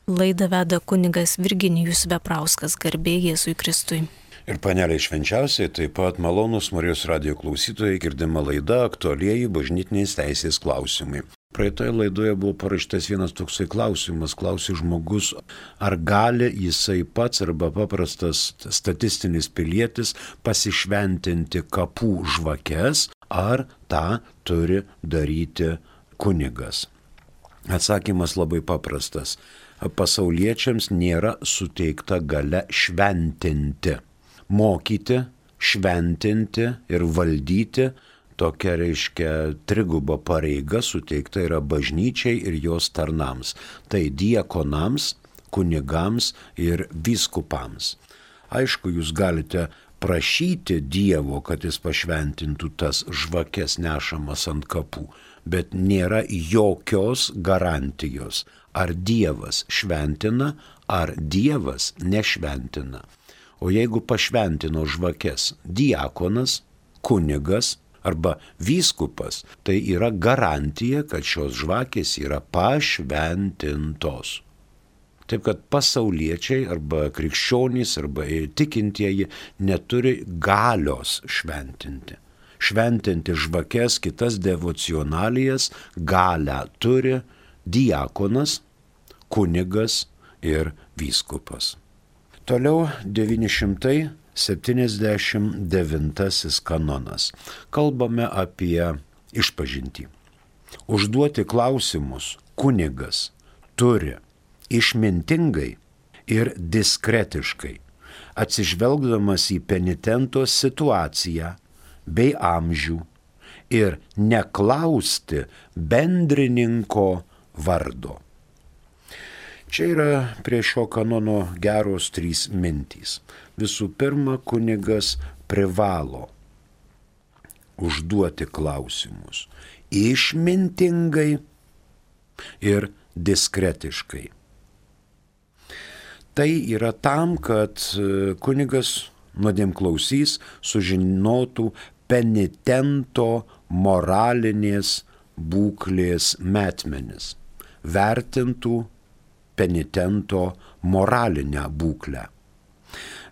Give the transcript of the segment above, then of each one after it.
Laidą veda kunigas Virginijus Veprauskas, garbė Jėzui Kristui. Ir paneliai švenčiausiai, taip pat malonūs Marijos radijo klausytojai, girdima laida aktualieji bažnytinės teisės klausimai. Praeitoje laidoje buvo parašytas vienas toksai klausimas, klausė žmogus, ar gali jisai pats arba paprastas statistinis pilietis pasišventinti kapų žvakes, ar tą turi daryti kunigas. Atsakymas labai paprastas. Pasauliečiams nėra suteikta galia šventinti. Mokyti, šventinti ir valdyti tokia reiškia triguba pareiga suteikta yra bažnyčiai ir jos tarnams. Tai diakonams, kunigams ir vyskupams. Aišku, jūs galite prašyti Dievo, kad jis pašventintų tas žvakes nešamas ant kapų. Bet nėra jokios garantijos, ar Dievas šventina, ar Dievas nešventina. O jeigu pašventino žvakes diakonas, kunigas arba vyskupas, tai yra garantija, kad šios žvakės yra pašventintos. Taip kad pasauliečiai arba krikščionys arba tikintieji neturi galios šventinti. Šventinti žvakes, kitas devocionalijas galę turi diakonas, kunigas ir vyskupas. Toliau 979 kanonas. Kalbame apie išpažintį. Užduoti klausimus kunigas turi išmintingai ir diskretiškai, atsižvelgdamas į penitento situaciją bei amžių ir neklausti bendrininko vardo. Čia yra prie šio kanono geros 3 mintys. Visų pirma, kunigas privalo užduoti klausimus išmintingai ir diskretiškai. Tai yra tam, kad kunigas nuodėmklausys sužinotų penitento moralinės būklės metmenis, vertintų penitento moralinę būklę.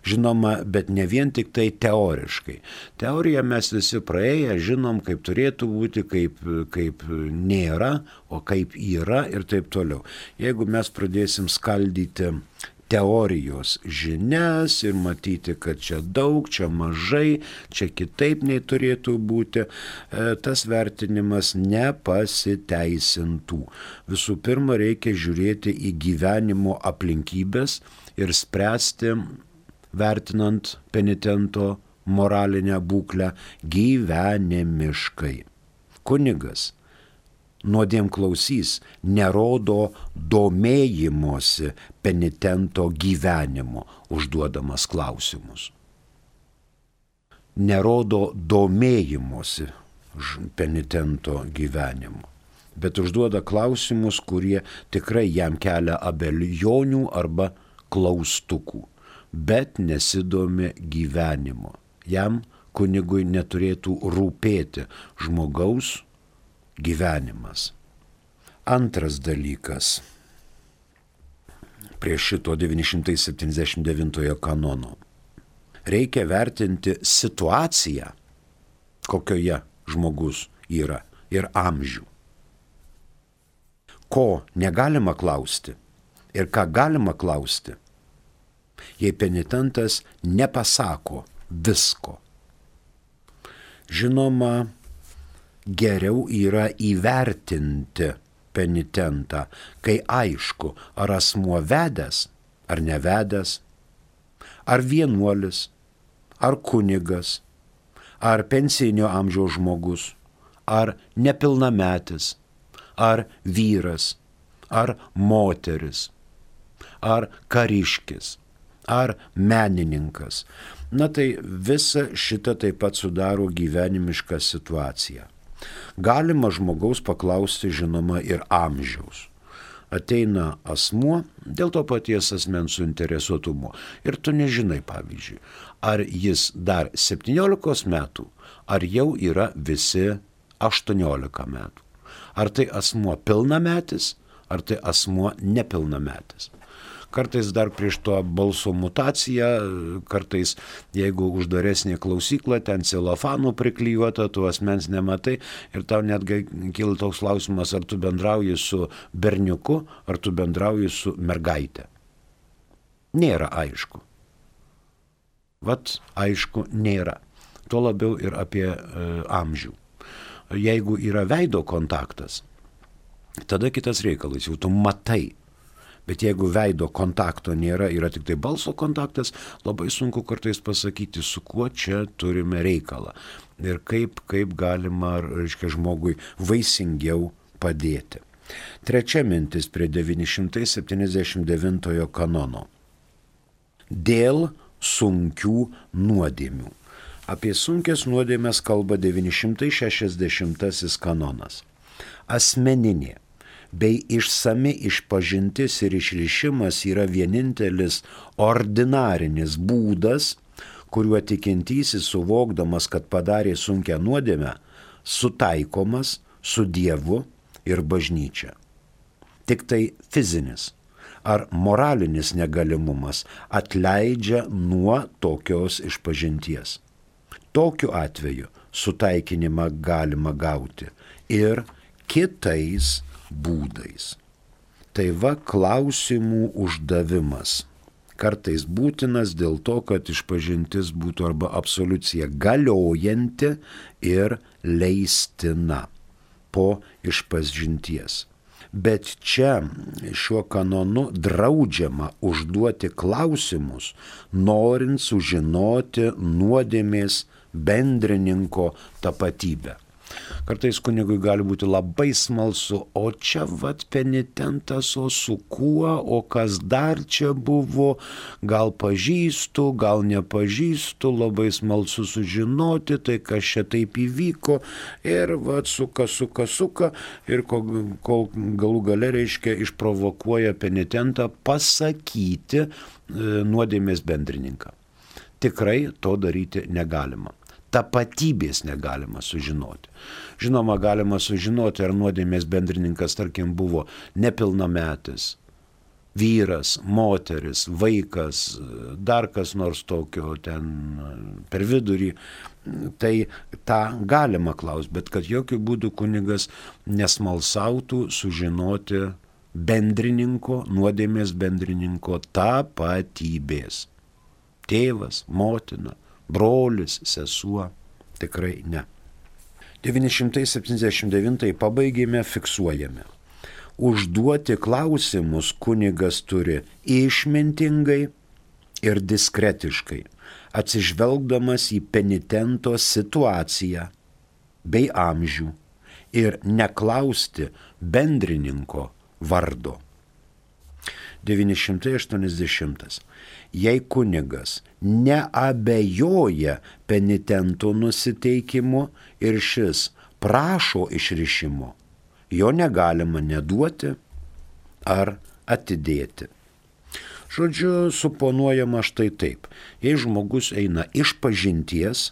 Žinoma, bet ne vien tik tai teoriškai. Teoriją mes visi praėję žinom, kaip turėtų būti, kaip nėra, o kaip yra ir taip toliau. Jeigu mes pradėsim skaldyti teorijos žinias ir matyti, kad čia daug, čia mažai, čia kitaip nei turėtų būti, tas vertinimas nepasiteisintų. Visų pirma, reikia žiūrėti į gyvenimo aplinkybės ir spręsti, vertinant penitento moralinę būklę gyvenimiškai. Kunigas nuodėmklausys nerodo domėjimosi penitento gyvenimu, užduodamas klausimus. Nerodo domėjimosi penitento gyvenimu, bet užduoda klausimus, kurie tikrai jam kelia abejonių arba klaustukų, bet nesidomi gyvenimo. Jam, kunigui, neturėtų rūpėti žmogaus gyvenimas. Antras dalykas. Prie šito 979 kanono. Reikia vertinti situaciją, kokioje žmogus yra, ir amžių. Ko negalima klausti ir ką galima klausti, jei penitentas nepasako visko. Žinoma, geriau yra įvertinti penitentą, kai aišku, ar asmuo vedęs, ar nevedęs, ar vienuolis, ar kunigas, ar pensinio amžiaus žmogus, ar nepilnametis, ar vyras, ar moteris, ar kariškis, ar menininkas. Na tai visa šita taip pat sudaro gyvenimišką situaciją. Galima žmogaus paklausti, žinoma, ir amžiaus. Ateina asmuo dėl to paties asmens suinteresuotumo. Ir tu nežinai, pavyzdžiui, ar jis dar 17 metų, ar jau yra visi 18 metų. Ar tai asmuo pilnametis, ar tai asmuo nepilnametis. Kartais dar prieš to balso mutaciją, kartais jeigu uždaresnė klausykla, ten celofanų priklijuota, tu asmens nematai ir tau netgi kyla toks klausimas, ar tu bendrauji su berniuku, ar tu bendrauji su mergaitė. Nėra aišku. Vat aišku nėra. Tuo labiau ir apie amžių. Jeigu yra veido kontaktas, tada kitas reikalas, jau tu matai. Bet jeigu veido kontakto nėra, yra tik tai balso kontaktas, labai sunku kartais pasakyti, su kuo čia turime reikalą. Ir kaip galima, reiškia, žmogui vaisingiau padėti. Trečia mintis prie 979 kanono. Dėl sunkių nuodėmių. Apie sunkias nuodėmės kalba 960 kanonas. Asmeninė bei išsami išpažintis ir išrišimas yra vienintelis ordinarinis būdas, kuriuo tikintysis suvokdamas, kad padarė sunkią nuodėmę, sutaikomas su Dievu ir bažnyčia. Tik tai fizinis ar moralinis negalimumas atleidžia nuo tokios išpažinties. Tokiu atveju sutaikinimą galima gauti ir kitais būdais. Tai va klausimų uždavimas. Kartais būtinas dėl to, kad išpažintis būtų arba absoliucija galiojanti ir leistina po išpažinties. Bet čia šiuo kanonu draudžiama užduoti klausimus, norint sužinoti nuodėmės bendrininko tapatybę. Kartais kunigui gali būti labai smalsu, o čia vat penitentas, o su kuo, o kas dar čia buvo, gal pažįstu, gal nepažįstu, labai smalsu sužinoti, tai kas čia taip įvyko ir vat suka ir kol galų gale, reiškia, išprovokuoja penitentą pasakyti nuodėmės bendrininką. Tikrai to daryti negalima. Tapatybės negalima sužinoti. Žinoma, galima sužinoti, ar nuodėmės bendrininkas, tarkim, buvo nepilnametis, vyras, moteris, vaikas, dar kas nors tokio ten per vidurį. Tai tą galima klausti, bet kad jokių būdų kunigas nesmalsautų sužinoti bendrininko, nuodėmės bendrininko tapatybės. Tėvas, motina, brolis, sesuo, tikrai ne. 979 pabaigėme, fiksuojame. Užduoti klausimus kunigas turi išmintingai ir diskretiškai, atsižvelgdamas į penitento situaciją bei amžių ir neklausti bendrininko vardo. 980. Jei kunigas neabejoja penitento nusiteikimu ir šis prašo išrišimo, jo negalima neduoti ar atidėti. Žodžiu, suponuojama štai taip. Jei žmogus eina išpažinties,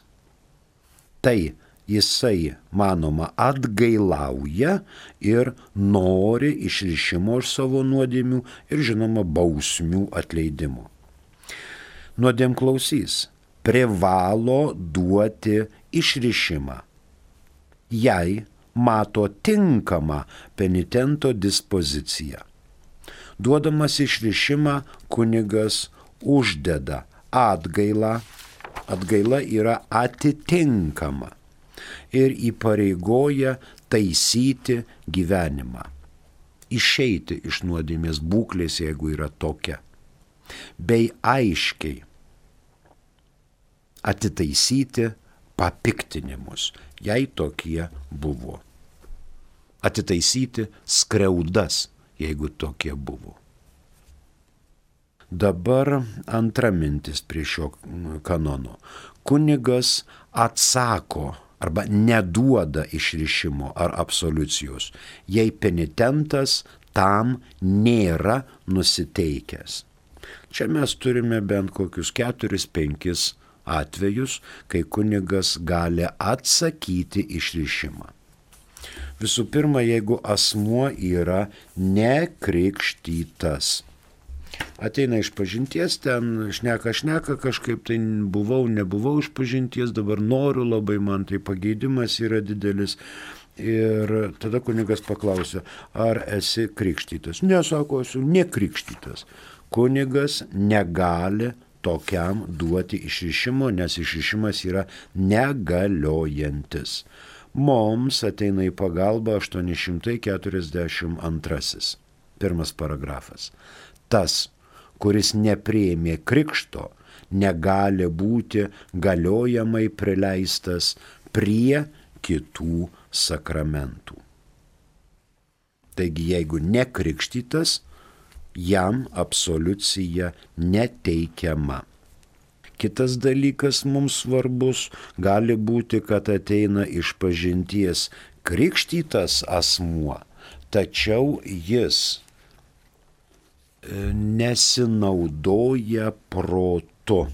tai jisai, manoma, atgailauja ir nori išrišimo iš savo nuodėmių ir, žinoma, bausmių atleidimo. Nuodėmklausys privalo duoti išrišimą, jei mato tinkamą penitento dispoziciją. Duodamas išrišimą kunigas uždeda atgailą, atgaila yra atitinkama ir įpareigoja taisyti gyvenimą, išeiti iš nuodėmės būklės, jeigu yra tokia, bei aiškiai atitaisyti papiktinimus, jei tokie buvo. Atitaisyti skriaudas, jeigu tokie buvo. Dabar antra mintis prie šio kanono. Kunigas atsako arba neduoda išrišimo ar absoliucijos, jei penitentas tam nėra nusiteikęs. Čia mes turime bent kokius 4-5 atvejus, kai kunigas gali atsakyti išrišimą. Visų pirma, jeigu asmuo yra nekrikštytas. Ateina iš pažinties, ten šneka kažkaip, tai nebuvau iš pažinties, dabar noriu labai, man tai pageidimas yra didelis. Ir tada kunigas paklausė, ar esi krikštytas. Ne, sako, esu nekrikštytas. Kunigas negali tokiam duoti išrišimo, nes išrišimas yra negaliojantis. Mums ateina į pagalbą 842. Pirmas paragrafas. Tas, kuris nepriėmė krikšto, negali būti galiojamai prileistas prie kitų sakramentų. Taigi, jeigu nekrikštytas, jam absoliucija neteikiama. Kitas dalykas mums svarbus, gali būti, kad ateina iš pažinties krikštytas asmuo, tačiau jis nesinaudoja protu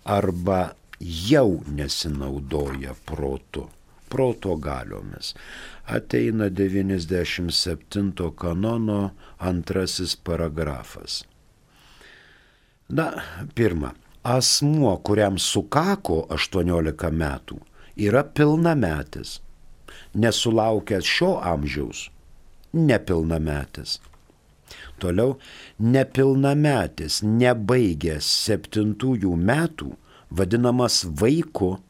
arba jau nesinaudoja protu. Proto galiomis. Ateina 97 kanono 2 paragrafas. Pirma, asmuo, kuriam sukako 18 metų, yra pilnametis. Nesulaukęs šio amžiaus, nepilnametis. Toliau, nepilnametis, nebaigęs 7 metų, vadinamas vaiku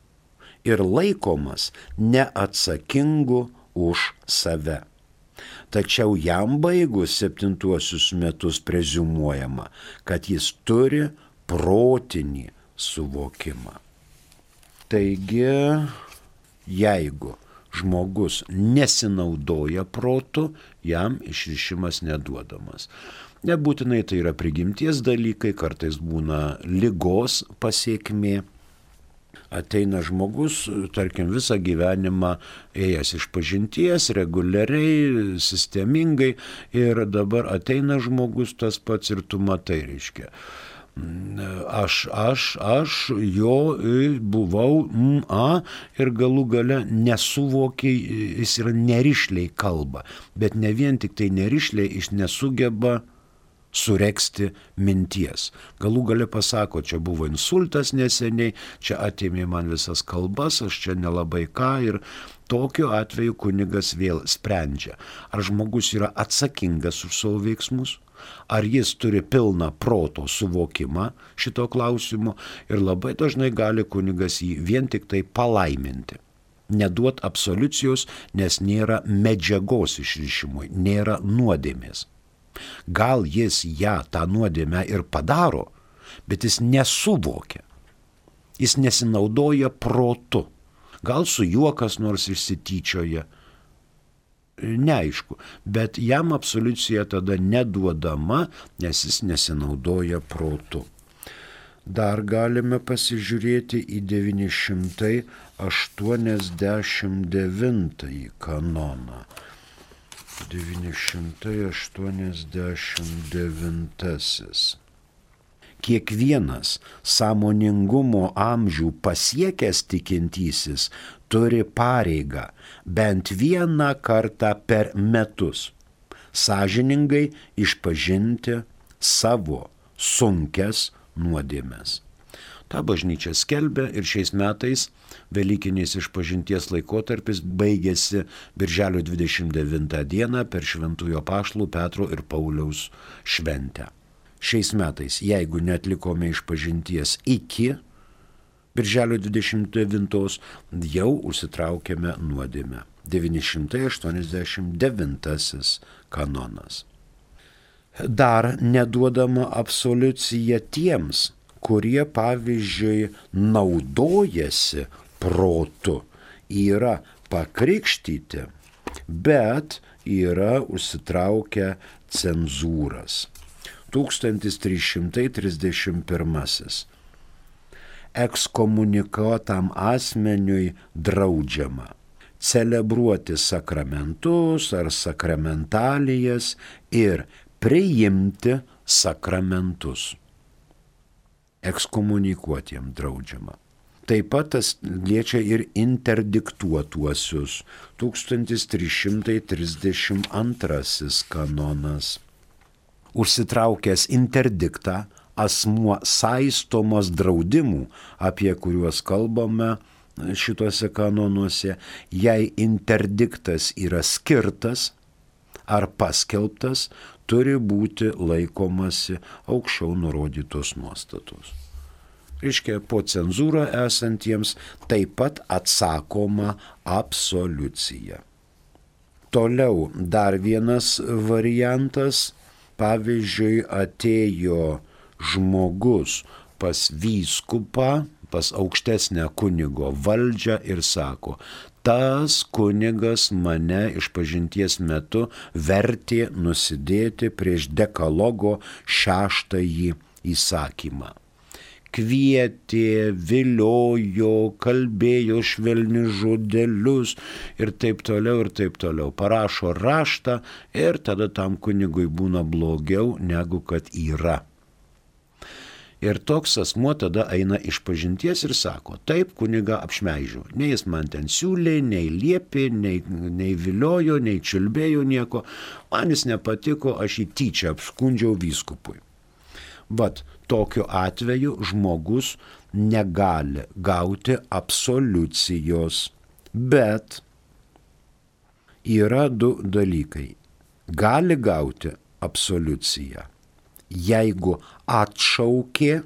ir laikomas neatsakingu už save. Tačiau jam baigus 7 metus preziumuojama, kad jis turi protinį suvokimą. Taigi, jeigu žmogus nesinaudoja protu, jam išrišimas neduodamas. Nebūtinai tai yra prigimties dalykai, kartais būna ligos pasekmė. Ateina žmogus, tarkim, visą gyvenimą ėjęs iš pažinties, reguliariai, sistemingai, ir dabar ateina žmogus tas pats ir tu matai, reiškia. Aš jo buvau, ir galų gale nesuvokiai, jis yra nerišliai kalba, bet ne vien tik tai nerišliai, jis nesugeba suregzti minties. Galų gale pasako, čia buvo insultas neseniai, čia atėmė man visas kalbas, aš čia nelabai ką, ir tokiu atveju kunigas vėl sprendžia, ar žmogus yra atsakingas už savo veiksmus, ar jis turi pilną proto suvokimą šito klausimo, ir labai dažnai gali kunigas jį vien tik tai palaiminti. Neduot absoliucijos, nes nėra medžiagos išrišimui, nėra nuodėmės. Gal jis ją tą nuodėmę ir padaro, bet jis nesuvokia. Jis nesinaudoja protu. Gal su juo kas nors išsityčioja. Neaišku, bet jam absoliucija tada neduodama, nes jis nesinaudoja protu. Dar galime pasižiūrėti į 989 kanoną. 989. Kiekvienas sąmoningumo amžių pasiekęs tikintysis turi pareigą bent vieną kartą per metus sąžiningai išpažinti savo sunkias nuodėmes. Ta bažnyčia skelbia ir šiais metais Velykiniais išpažinties laikotarpis baigėsi birželio 29 dieną per Šventųjų Apaštalų Petro ir Pauliaus šventę. Šiais metais, jeigu neatlikome išpažinties iki birželio 29, jau užsitraukėme nuodėmę. 989 kanonas. Dar neduodama absoliucija tiems, kurie, pavyzdžiui, naudojasi protu, yra pakrikštyti, bet yra užsitraukę cenzūras. 1331. Ekskomunikuotam asmeniui draudžiama celebruoti sakramentus ar sakramentalijas ir priimti sakramentus. Ekskomunikuotiem draudžiama. Taip pat tas liečia ir interdiktuotuosius. 1332 kanonas. Užsitraukęs interdiktą, asmuo saistomas draudimų, apie kuriuos kalbame šituose kanonuose, jei interdiktas yra skirtas ar paskelbtas, turi būti laikomasi aukščiau nurodytos nuostatos. Reiškia, po cenzūrą esantiems taip pat atsakoma absoliucija. Toliau dar vienas variantas. Pavyzdžiui, atėjo žmogus pas vyskupą, pas aukštesnę kunigo valdžią ir sako, tas kunigas mane išpažinties metu vertė nusidėti prieš dekalogo 6 įsakymą. Kvietė, viliojo, kalbėjo švelnius žodelius ir taip toliau ir taip toliau. Parašo raštą ir tada tam kunigui būna blogiau negu kad yra. Ir toks asmuo tada eina išpažinties ir sako, taip kunigą apšmeižiau. Nei jis man ten siūlė, nei liepė, nei viliojo, nei čiulbėjo nieko. Man jis nepatiko, aš jį tyčia apskundžiau vyskupui. Vat tokiu atveju žmogus negali gauti absoliucijos. Bet yra 2 dalykai. Gali gauti absoliuciją, jeigu atšaukė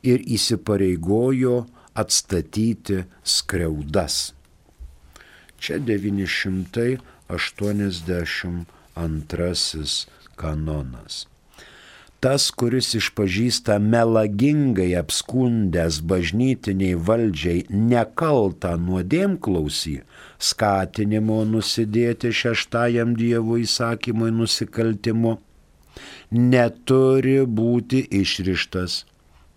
ir įsipareigojo atstatyti skriaudas. Čia 982 kanonas. Tas, kuris išpažįsta melagingai apskundęs bažnytiniai valdžiai nekaltą nuodėmklausį, skatinimo nusidėti 6 Dievo įsakymui nusikaltimu, neturi būti išrištas,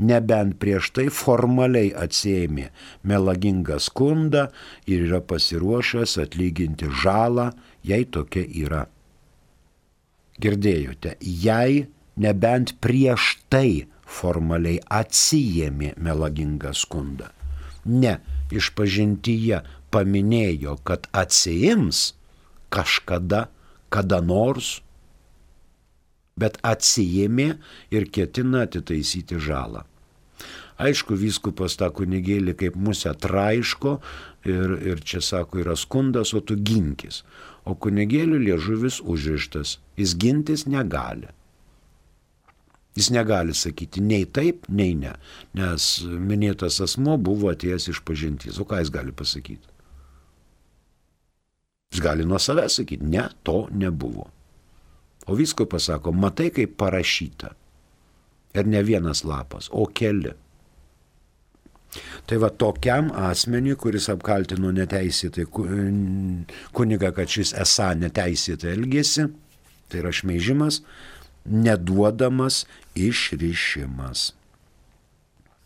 nebent prieš tai formaliai atsiėmė melagingą skundą ir yra pasiruošęs atlyginti žalą, jei tokia yra. Girdėjote, jei nebent prieš tai formaliai atsiėmė melagingą skundą. Ne, išpažintyje paminėjo, kad atsiims kažkada, kada nors, bet atsiėmė ir ketina atitaisyti žalą. Aišku, vyskupas tą kunigėlį kaip musę traiško ir čia sako, yra skundas, o tu ginkis. O kunigėlių liežuvis užrištas, jis gintis negali. Jis negali sakyti nei taip, nei ne, nes minėtas asmo buvo atėjęs išpažinties. O ką jis gali pasakyti? Jis gali nuo savęs sakyti, ne, to nebuvo. O vyskupas sako, matai, kaip parašyta. Ir ne vienas lapas, o keli. Tai va tokiam asmeniui, kuris apkaltino neteisėtai kunigą, kad šis esą neteisėtai elgėsi, tai yra šmeižimas, neduodamas išrišimas.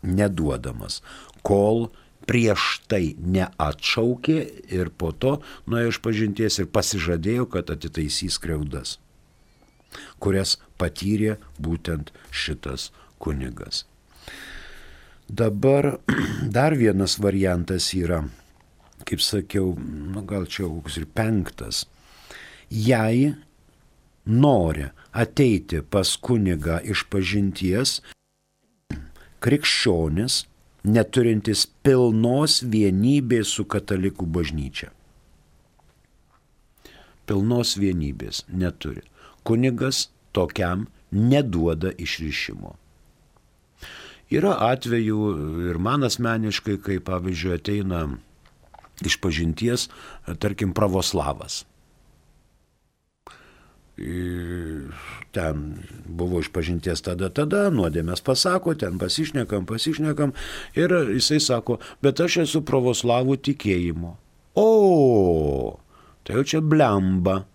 Neduodamas, kol prieš tai neatšaukė ir po to nuėjo išpažinties ir pasižadėjo, kad atitaisys skriaudas, kurias patyrė būtent šitas kunigas. Dabar dar vienas variantas yra, kaip sakiau, gal čia koks ir 5. Jei nori ateiti pas kunigą išpažinties, krikščionis, neturintis pilnos vienybės su katalikų bažnyčia. Pilnos vienybės neturi. Kunigas tokiam neduoda išrišimo. Yra atvejų ir man asmeniškai, kai pavyzdžiui ateina išpažinties, tarkim, pravoslavas. Ten buvo išpažinties tada, nuodėmės pasako, ten pasišnekam ir jisai sako, bet aš esu pravoslavų tikėjimo. O, tai jau čia blemba.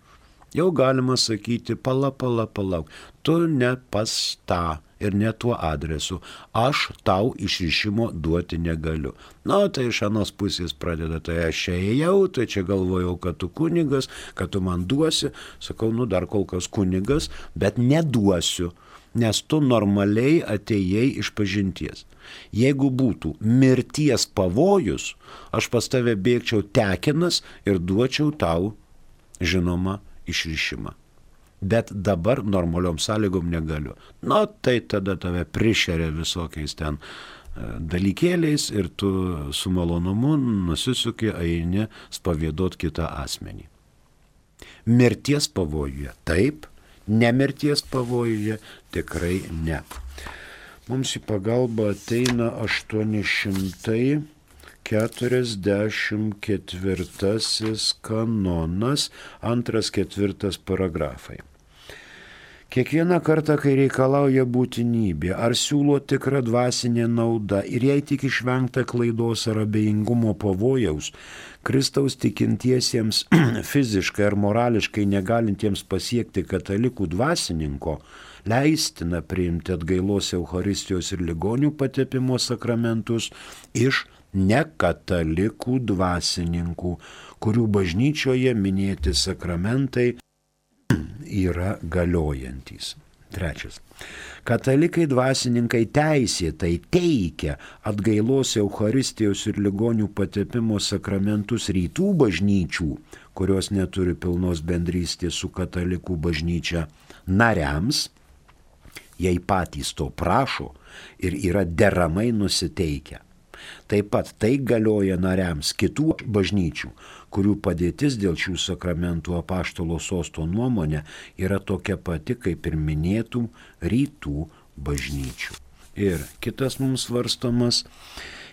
Jau galima sakyti, palauk, tu ne pas tą ir ne tuo adresu, aš tau išrišimo duoti negaliu. Na, tai iš anos pusės pradeda, tai aš ėjau, tai čia galvojau, kad tu kunigas, kad tu man duosi, sakau, dar kol kas kunigas, bet neduosiu, nes tu normaliai atėjai iš pažinties. Jeigu būtų mirties pavojus, aš pas tave bėgčiau tekinas ir duočiau tau, žinoma, išrišimą. Bet dabar normaliom sąlygom negaliu. Na, tai tada tave prišeria visokiais ten dalykėliais ir tu su malonumu nusisuki, eini spavėdot kitą asmenį. Mirties pavojuje taip, nemirties pavojuje tikrai ne. Mums į pagalbą ateina 844 kanonas, 2-4 paragrafai. Kiekvieną kartą, kai reikalauja būtinybė, ar siūlo tikrą dvasinė nauda ir jei tik išvengta klaidos ar abejingumo pavojaus, Kristaus tikintiesiems fiziškai ar morališkai negalintiems pasiekti katalikų dvasininko, leistina priimti atgailos Eucharistijos ir ligonių patepimo sakramentus iš nekatalikų dvasininkų, kurių bažnyčioje minėti sakramentai yra galiojantys. 3. Katalikai dvasininkai teisėtai teikia atgailos Eucharistijos ir ligonių patepimo sakramentus rytų bažnyčių, kurios neturi pilnos bendrystės su katalikų bažnyčia, nariams, jei patys to prašo ir yra deramai nusiteikę. Taip pat tai galioja nariams kitų bažnyčių, kurių padėtis dėl šių sakramentų apaštalo sosto nuomonė yra tokia pati kaip ir minėtų rytų bažnyčių. Ir kitas mums svarstomas,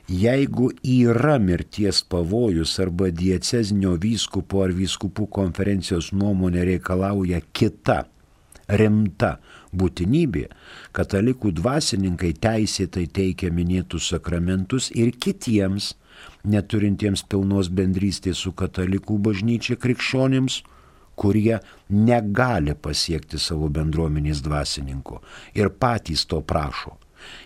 jeigu yra mirties pavojus arba diecezinio vyskupo ar vyskupų konferencijos nuomonė reikalauja kita rimta būtinybė, katalikų dvasininkai teisėtai teikia minėtus sakramentus ir kitiems, neturintiems pilnos bendrystės su katalikų bažnyčia krikščionims, kurie negali pasiekti savo bendruomenės dvasininko ir patys to prašo,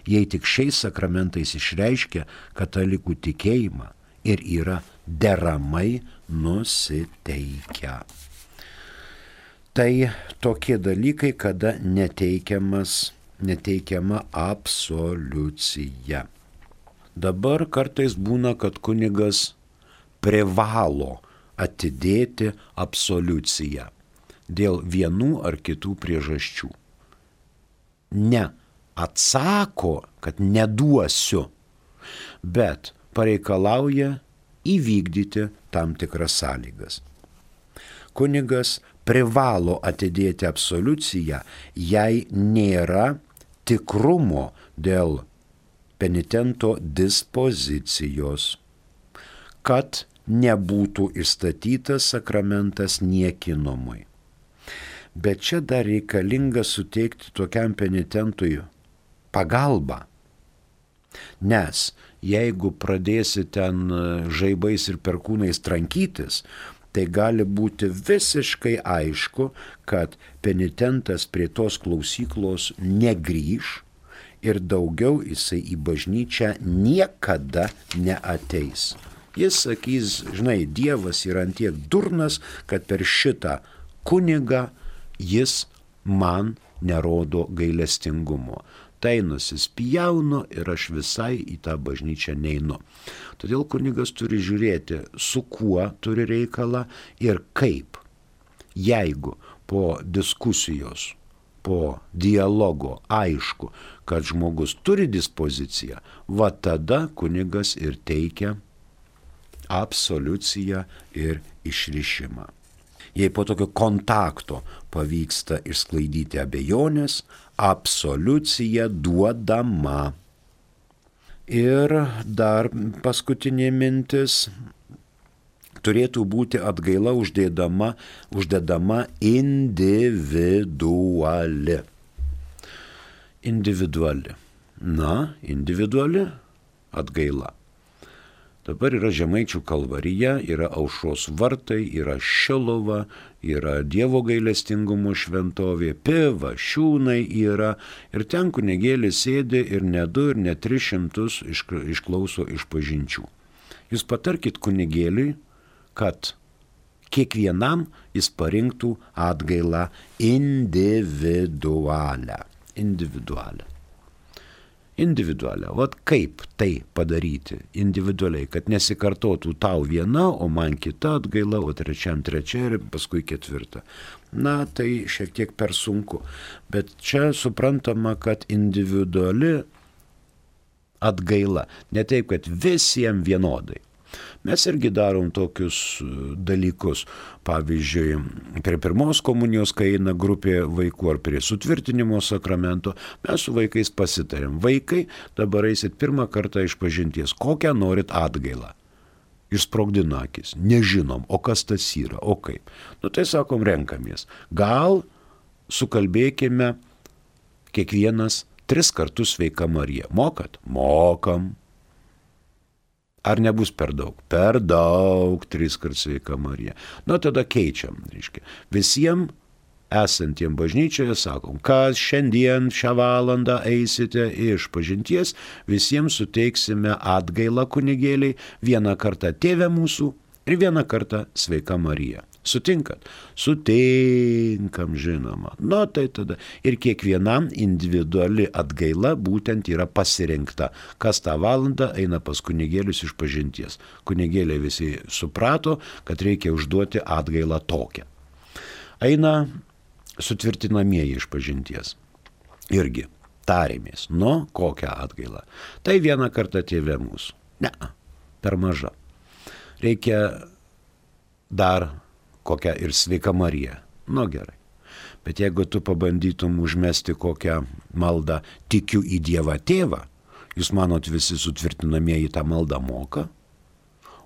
jei tik šiais sakramentais išreiškia katalikų tikėjimą ir yra deramai nusiteikę. Tai tokie dalykai, kada neteikiama absoliucija. Dabar kartais būna, kad kunigas privalo atidėti absoliuciją dėl vienų ar kitų priežasčių. Ne atsako, kad neduosiu, bet pareikalauja įvykdyti tam tikras sąlygas. Kunigas privalo atidėti absoliuciją, jei nėra tikrumo dėl penitento dispozicijos, kad nebūtų išstatytas sakramentas niekinumui. Bet čia dar reikalinga suteikti tokiam penitentui pagalbą. Nes jeigu pradėsi ten žaibais ir perkūnais trankytis, tai gali būti visiškai aišku, kad penitentas prie tos klausyklos negrįš ir daugiau jisai į bažnyčią niekada neateis. Jis sakys, žinai, Dievas yra antiek durnas, kad per šitą kunigą jis man nerodo gailestingumo. Tai nusispjaunu ir aš visai į tą bažnyčią neinu. Todėl kunigas turi žiūrėti, su kuo turi reikalą ir kaip. Jeigu po diskusijos, po dialogo aišku, kad žmogus turi dispoziciją, va tada kunigas ir teikia absoliuciją ir išrišimą. Jei po tokio kontakto pavyksta išsklaidyti abejonės, absoliucija duodama. Ir dar paskutinė mintis, turėtų būti atgaila uždedama individuali. Individuali atgaila. Dabar yra Žemaičių Kalvarija, yra Aušros vartai, yra Šiluva, yra Dievo gailestingumo šventovė, Pivašiūnai yra. Ir ten kunigėlis sėdi ir ne 2, ir ne 300 išklauso išpažinčių. Jūs patarkit kunigėliui, kad kiekvienam jis parinktų atgailą individualią. individualią. Individualią. Vat kaip tai padaryti individualiai, kad nesikartotų tau viena, o man kita atgaila, o trečiam trečia ir paskui ketvirta. Na, tai šiek tiek per sunku. Bet čia suprantama, kad individuali atgaila. Ne taip, kad visiems vienodai. Mes irgi darom tokius dalykus. Pavyzdžiui, prie pirmos komunijos, kai eina grupė vaikų ar prie sutvirtinimo sakramento, mes su vaikais pasitarėm. Vaikai, dabar eisit pirmą kartą išpažinties. Kokią norit atgailą? Išsprogdina akis. Nežinom, o kas tas yra, o kaip. Nu tai sakom, renkamės. Gal sukalbėkime kiekvienas 3 kartus Sveika Marija. Mokat? Mokam. Ar nebus per daug? Per daug 3 kartus Sveika Marija. Nu tada keičiam, reiškia. Visiems esantiem bažnyčioje sakom, kas šiandien šią valandą eisite iš pažinties, visiems suteiksime atgailą kunigėliai, 1 kartą Tėve mūsų ir 1 kartą Sveika Marija. Sutinkat? Sutinkam, žinoma. Nu, tai tada. Ir kiekvienam individuali atgaila būtent yra pasirinkta. Kas tą valandą eina pas kunigėlius iš pažinties. Kunigėliai visi suprato, kad reikia užduoti atgailą tokią. Eina sutvirtinamieji iš pažinties. Irgi tarėmės. Nu, kokią atgailą? Tai 1 kartą Tėve mūsų. Ne, per maža. Reikia dar kokią ir Sveika Marija. Nu gerai. Bet jeigu tu pabandytum užmesti kokią maldą tikiu į Dievą Tėvą, jūs manot visi sutvirtinamieji tą maldą moka?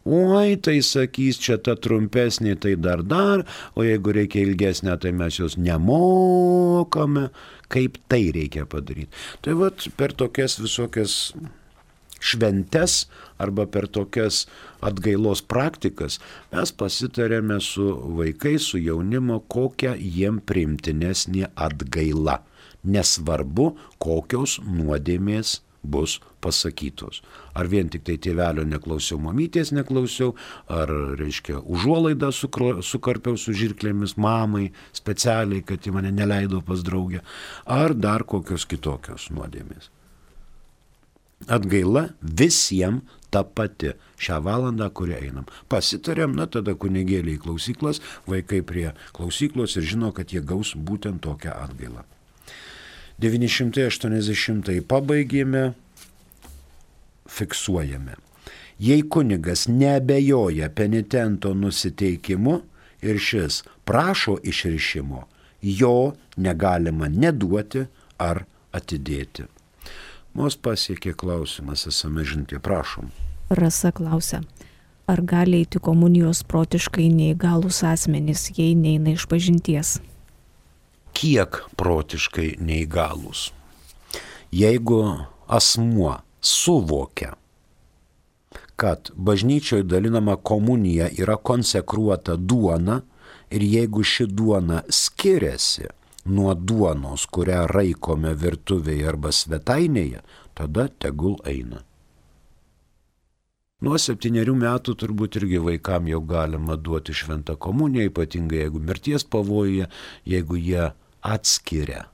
Oi, tai sakys, čia ta trumpesnė, tai dar, o jeigu reikia ilgesnė, tai mes jos nemokame. Kaip tai reikia padaryti? Tai vat per tokias visokias šventes arba per tokias atgailos praktikas mes pasitarėme su vaikais, su jaunimo, kokia jiem priimtinesnė atgaila. Nesvarbu, kokios nuodėmės bus pasakytos. Ar vien tik tai tėvelio neklausiau, mamytės neklausiau, ar, reiškia, užuolaidą sukarpiau su žirklėmis mamai specialiai, kad į mane neleido pas draugę, ar dar kokios kitokios nuodėmės. Atgaila visiems ta pati šią valandą, kurią einam. Pasitarėm, na tada kunigėliai į klausyklas, vaikai prie klausyklos ir žino, kad jie gaus būtent tokią atgailą. 980 pabaigėme, fiksuojame. Jei kunigas neabejoja penitento nusiteikimu ir šis prašo išrišimo, jo negalima neduoti ar atidėti. Mus pasiekė klausimas, esame žinti, prašom. Rasa klausia, ar gali eiti komunijos protiškai neįgalūs asmenys, jei neina iš pažinties? Kiek protiškai neįgalūs? Jeigu asmuo suvokia, kad bažnyčioje dalinama komunija yra konsekruota duona ir jeigu ši duona skiriasi nuo duonos, kurią raikome virtuvėje arba svetainėje, tada tegul eina. Nuo 7 metų turbūt irgi vaikam jau galima duoti šventą komuniją, ypatingai jeigu mirties pavojuje, jeigu jie atskiria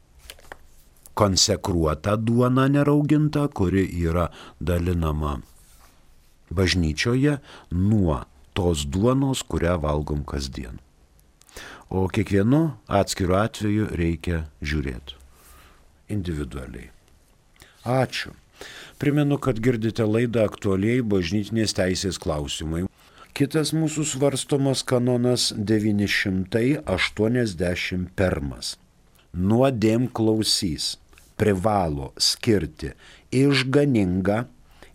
konsekruotą duoną nerauginta, kuri yra dalinama bažnyčioje, nuo tos duonos, kurią valgom kasdien. O kiekvienu atskiru atveju reikia žiūrėti individualiai. Ačiū. Primenu, kad girdite laidą Aktualiai bažnytinės teisės klausimai. Kitas mūsų svarstomas kanonas 981. Nuodėmklausys privalo skirti išganingą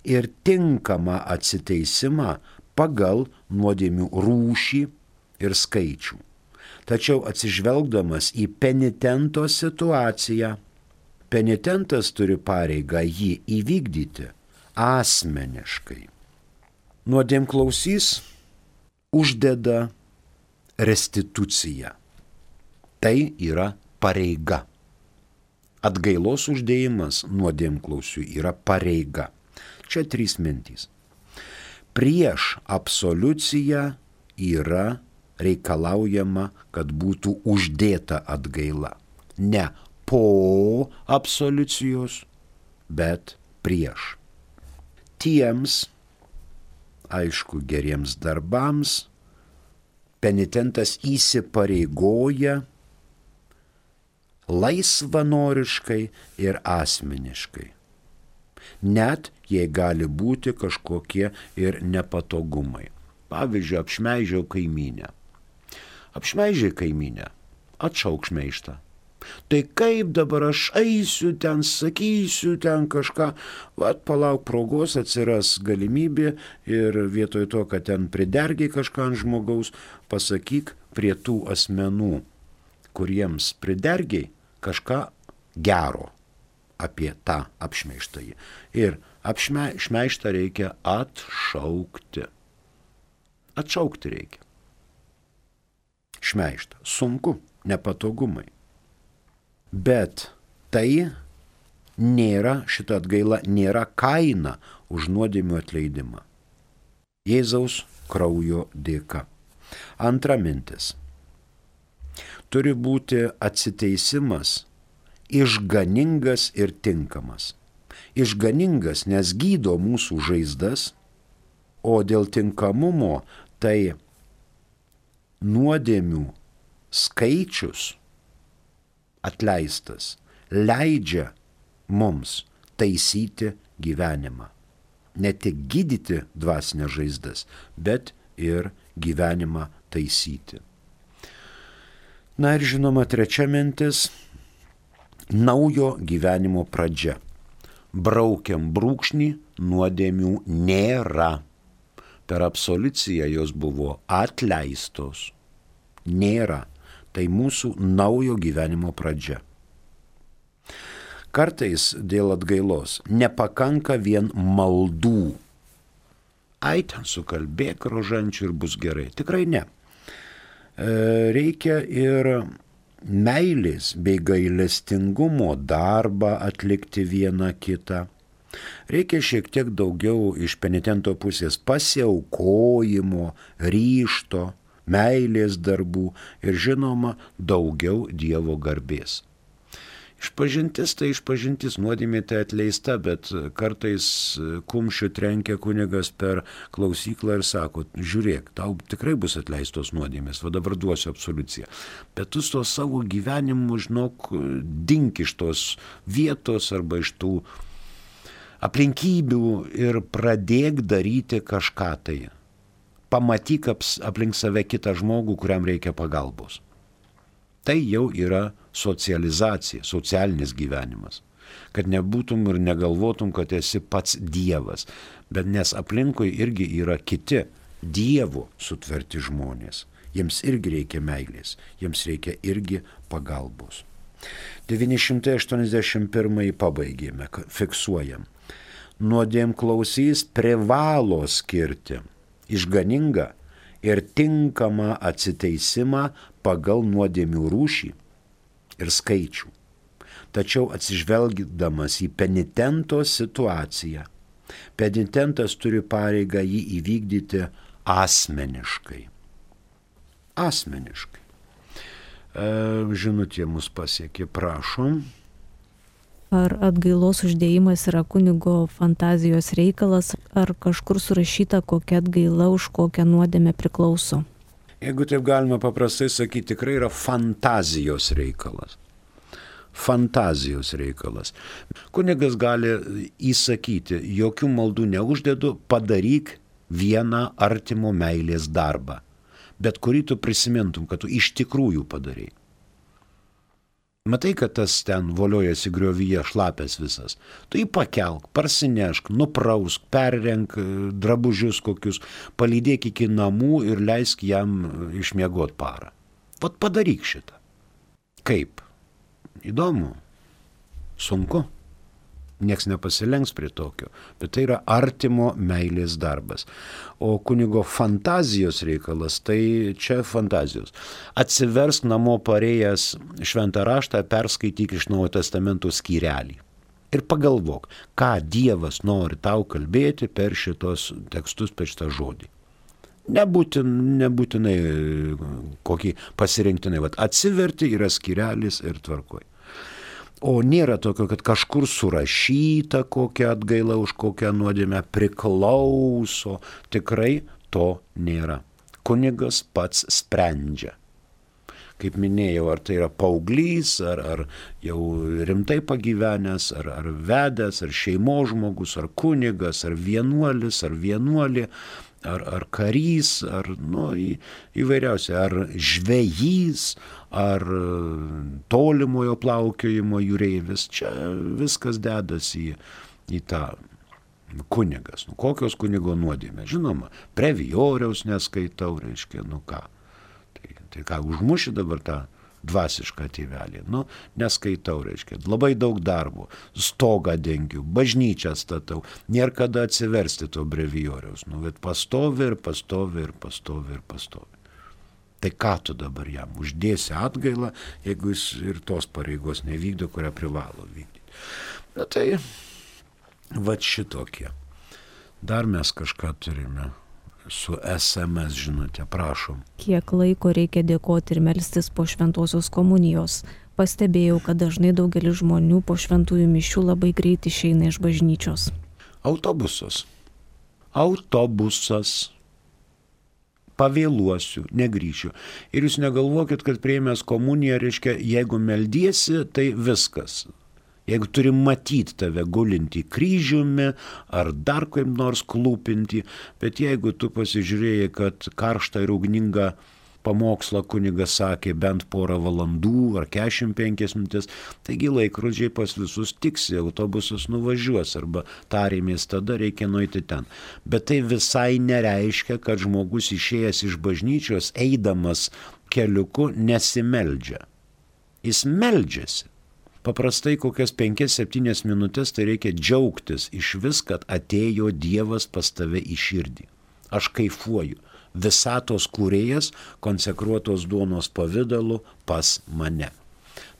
ir tinkamą atsiteisimą pagal nuodėmių rūšį ir skaičių. Tačiau atsižvelgdamas į penitento situaciją, penitentas turi pareigą jį įvykdyti asmeniškai. Nuodėmklausys uždeda restituciją. Tai yra pareiga. Atgailos uždėjimas nuodėmklausiui yra pareiga. Čia 3 mintys. Prieš absoliuciją yra reikalaujama, kad būtų uždėta atgaila. Ne po absoliucijos, bet prieš. Tiems, aišku, geriems darbams penitentas įsipareigoja laisvanoriškai ir asmeniškai. Net jei gali būti kažkokie ir nepatogumai. Pavyzdžiui, apšmeižiau kaimynę. Apšmeižiai kaimynę, atšauk šmeižtą. Tai kaip dabar aš eisiu ten, sakysiu ten kažką, palauk progos, atsiras galimybė ir vietoj to, kad ten pridergiai kažką ant žmogaus, pasakyk prie tų asmenų, kuriems pridergiai kažką gero apie tą apšmeižtąjį. Ir šmeižtą reikia atšaukti. Atšaukti reikia. Šmeižtą. Sunku, nepatogumai. Bet tai nėra, šita atgaila nėra kaina už nuodėmių atleidimą. Jėzaus kraujo dėka. Antra mintis. Turi būti atsiteisimas išganingas ir tinkamas. Išganingas, nes gydo mūsų žaizdas, o dėl tinkamumo tai nuodėmių skaičius atleistas leidžia mums taisyti gyvenimą. Ne tik gydyti dvasinės žaizdas, bet ir gyvenimą taisyti. Na ir žinoma, trečia mintis – naujo gyvenimo pradžia. Braukiam brūkšnį, nuodėmių nėra. Per absoliuciją jos buvo atleistos. Nėra. Tai mūsų naujo gyvenimo pradžia. Kartais dėl atgailos nepakanka vien maldų. Ai, ten sukalbėk rožančių ir bus gerai. Tikrai ne. Reikia ir meilės bei gailestingumo darbą atlikti vieną kitą. Reikia šiek tiek daugiau iš penitento pusės pasiaukojimo, ryžto, meilės darbų ir žinoma daugiau Dievo garbės. Išpažintis tai išpažintis, nuodėmė tai atleista, bet kartais kumščiu trenkia kunigas per klausyklą ir sako, žiūrėk, tau tikrai bus atleistos nuodėmės, va dabar duosiu absoliuciją. Bet tu to savo gyvenimu, žinok, dink iš tos vietos arba iš tų aplinkybių ir pradėk daryti kažką tai. Pamatyk aplink save kitą žmogų, kuriam reikia pagalbos. Tai jau yra socializacija, socialinis gyvenimas. Kad nebūtum ir negalvotum, kad esi pats Dievas. Bet nes aplinkui irgi yra kiti Dievo sutverti žmonės. Jiems irgi reikia meilės, jiems reikia irgi pagalbos. 981 pabaigėme, fiksuojam. Nuodėmklausys privalo skirti išganingą ir tinkamą atsiteisimą pagal nuodėmių rūšį ir skaičių. Tačiau atsižvelgdamas į penitento situaciją, penitentas turi pareigą jį įvykdyti asmeniškai. Asmeniškai. Žinutė mus pasiekė, prašom. Ar atgailos uždėjimas yra kunigo fantazijos reikalas, ar kažkur surašyta, kokia atgaila už kokią nuodėmę priklauso? Jeigu taip galima paprastai sakyti, tikrai yra fantazijos reikalas. Fantazijos reikalas. Kunigas gali įsakyti, jokių maldų neuždedu, padaryk vieną artimo meilės darbą, bet kurį tu prisimintum, kad tu iš tikrųjų padarai. Matai, kad tas ten voliojasi griovyje šlapės visas. Tu jį pakelk, parsinešk, nuprausk, perrenk drabužius kokius, palydėk iki namų ir leisk jam išmiegot parą. Vat padaryk šitą. Kaip? Įdomu. Sunku. Niekas nepasilenks prie tokio, bet tai yra artimo meilės darbas. O kunigo fantazijos reikalas, tai čia fantazijos. Atsiversk namo parėjęs šventą raštą, perskaityk iš Naujojo testamento skyrelį. Ir pagalvok, ką Dievas nori tau kalbėti per šitos tekstus, per šitą žodį. Nebūtinai kokį pasirinktinai. Atsiverti, yra skyrelis ir tvarkoj. O nėra tokio, kad kažkur surašyta kokia atgaila už kokią nuodėmę priklauso. Tikrai to nėra. Kunigas pats sprendžia. Kaip minėjau, ar tai yra paauglys, ar jau rimtai pagyvenęs, ar vedęs, ar šeimos žmogus, ar kunigas, ar vienuolis, ar vienuolė, ar karys, ar įvairiausia, ar žvejys, ar tolimojo plaukiojimo jūreivis. Čia viskas dedasi į tą kunigas. Kokios kunigo nuodėmės? Žinoma, brevijoriaus neskaitau, reiškia, ką. Tai ką, užmuši dabar tą dvasišką tėvelį? Neskaitau, reiškia, labai daug darbo, stogą dengiu, bažnyčią statau, nėra kada atsiversti to brevijoriaus, bet pastovi ir pastovi ir pastovi ir pastovi. Tai ką tu dabar jam uždėsi atgailą, jeigu jis ir tos pareigos nevykdo, kurią privalo vykdyti. Bet tai, šitokie. Dar mes kažką turime. Su SMS žinutė, prašom. Kiek laiko reikia dėkoti ir melstis po šventosios komunijos? Pastebėjau, kad dažnai daugelis žmonių po šventųjų mišių labai greit išeina iš bažnyčios. Autobusas. Pavėluosiu, negrįšiu. Ir jūs negalvokit, kad priėmęs komuniją, reiškia, jeigu meldiesi, tai viskas. Jeigu turi matyti tave gulinti kryžiumi ar dar kaip nors klūpinti, bet jeigu tu pasižiūrėjai, kad karštą ir ugningą pamokslą kunigas sakė bent porą valandų ar 45 minutės, taigi laikrodžiai pas visus tiksi, autobusas nuvažiuos arba tarėmės, tada reikia nueiti ten. Bet tai visai nereiškia, kad žmogus išėjęs iš bažnyčios, eidamas keliuku, nesimeldžia. Jis meldžiasi. Paprastai kokias 5-7 minutės tai reikia džiaugtis iš vis, kad atėjo Dievas pas tave į širdį. Aš kaifuoju. Visatos kūrėjas konsekruotos duonos pavidalu pas mane.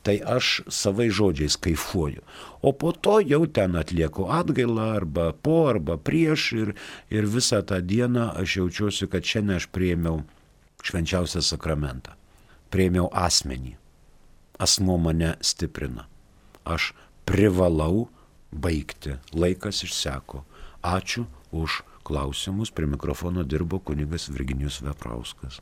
Tai aš savai žodžiais kaifuoju. O po to jau ten atlieku atgailą arba po, arba prieš ir visą tą dieną aš jaučiuosi, kad šiandien aš priėmiau švenčiausią sakramentą. Priėmiau asmenį. Asmuo mane stiprina. Aš privalau baigti. Laikas išseko. Ačiū už klausimus. Prie mikrofono dirbo kunigas Virginijus Veprauskas.